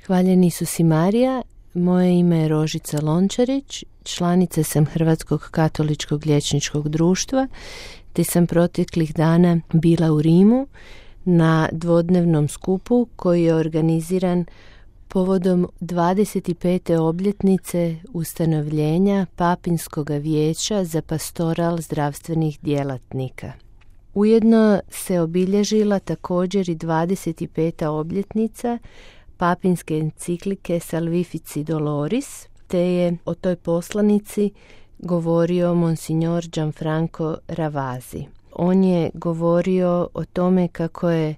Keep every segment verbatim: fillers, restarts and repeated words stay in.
Hvaljeni su si Marija, moje ime je Rožica Lončarić, članica sam Hrvatskog katoličkog liječničkog društva, te sam proteklih dana bila u Rimu na dvodnevnom skupu koji je organiziran povodom dvadeset pete obljetnice ustanovljenja Papinskog vijeća za pastoral zdravstvenih djelatnika. Ujedno se obilježila također i dvadeset peta obljetnica papinske enciklike Salvifici Doloris, te je o toj poslanici govorio monsignor Gianfranco Ravasi. On je govorio o tome kako je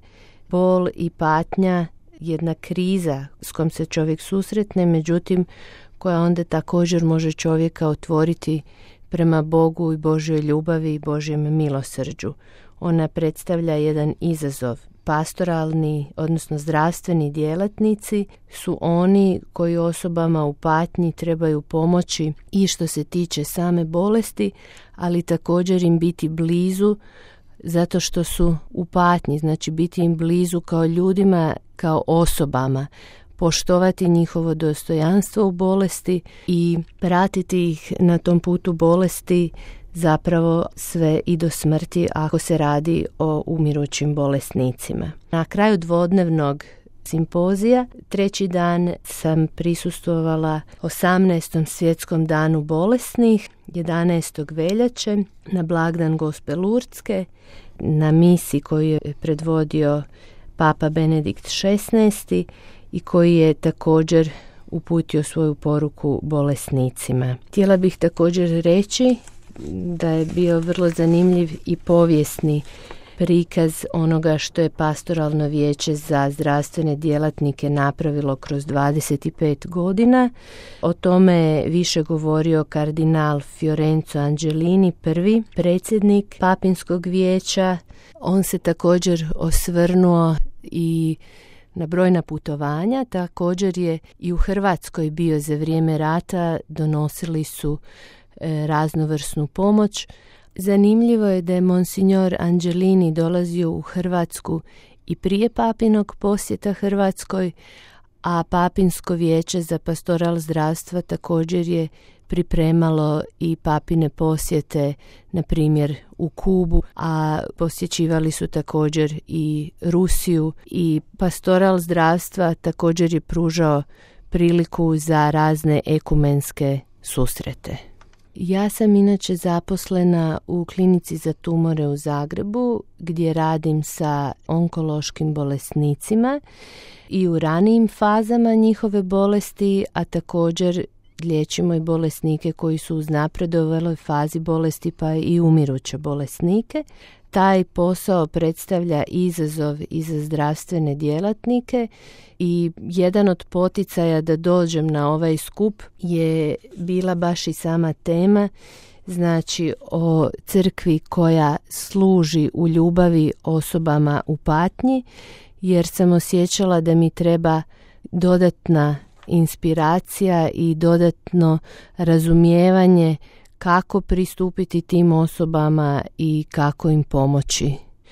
bol i patnja jedna kriza s kojom se čovjek susretne, međutim koja onda također može čovjeka otvoriti prema Bogu i Božjoj ljubavi i Božjem milosrđu. Ona predstavlja jedan izazov. Pastoralni, odnosno zdravstveni djelatnici su oni koji osobama u patnji trebaju pomoći i što se tiče same bolesti, ali također im biti blizu zato što su u patnji, znači biti im blizu kao ljudima, kao osobama, poštovati njihovo dostojanstvo u bolesti i pratiti ih na tom putu bolesti zapravo sve i do smrti ako se radi o umirućim bolesnicima. Na kraju dvodnevnog simpozija, treći dan sam prisustvovala osamnaestom svjetskom danu bolesnih, jedanaestog veljače, na blagdan Gospe Lurdske, na misi koju je predvodio Papa Benedikt šesnaesti i koji je također uputio svoju poruku bolesnicima. Htjela bih također reći da je bio vrlo zanimljiv i povijesni prikaz onoga što je Pastoralno vijeće za zdravstvene djelatnike napravilo kroz dvadeset pet godina. O tome je više govorio kardinal Fiorenzo Angelini, prvi predsjednik Papinskog vijeća. On se također osvrnuo i na brojna putovanja, također je i u Hrvatskoj bio za vrijeme rata, donosili su e, raznovrsnu pomoć. Zanimljivo je da je monsignor Angelini dolazio u Hrvatsku i prije papinog posjeta Hrvatskoj, a Papinsko vijeće za pastoral zdravstva također je pripremalo i papine posjete, na primjer u Kubu, a posjećivali su također i Rusiju, i pastoral zdravstva također je pružao priliku za razne ekumenske susrete. Ja sam inače zaposlena u klinici za tumore u Zagrebu, gdje radim sa onkološkim bolesnicima i u ranijim fazama njihove bolesti, a također liječimo i bolesnike koji su u napredovaloj fazi bolesti, pa i umiruće bolesnike. Taj posao predstavlja izazov i za zdravstvene djelatnike i jedan od poticaja da dođem na ovaj skup je bila baš i sama tema, znači o crkvi koja služi u ljubavi osobama u patnji, jer sam osjećala da mi treba dodatna inspiracija i dodatno razumijevanje kako pristupiti tim osobama i kako im pomoći.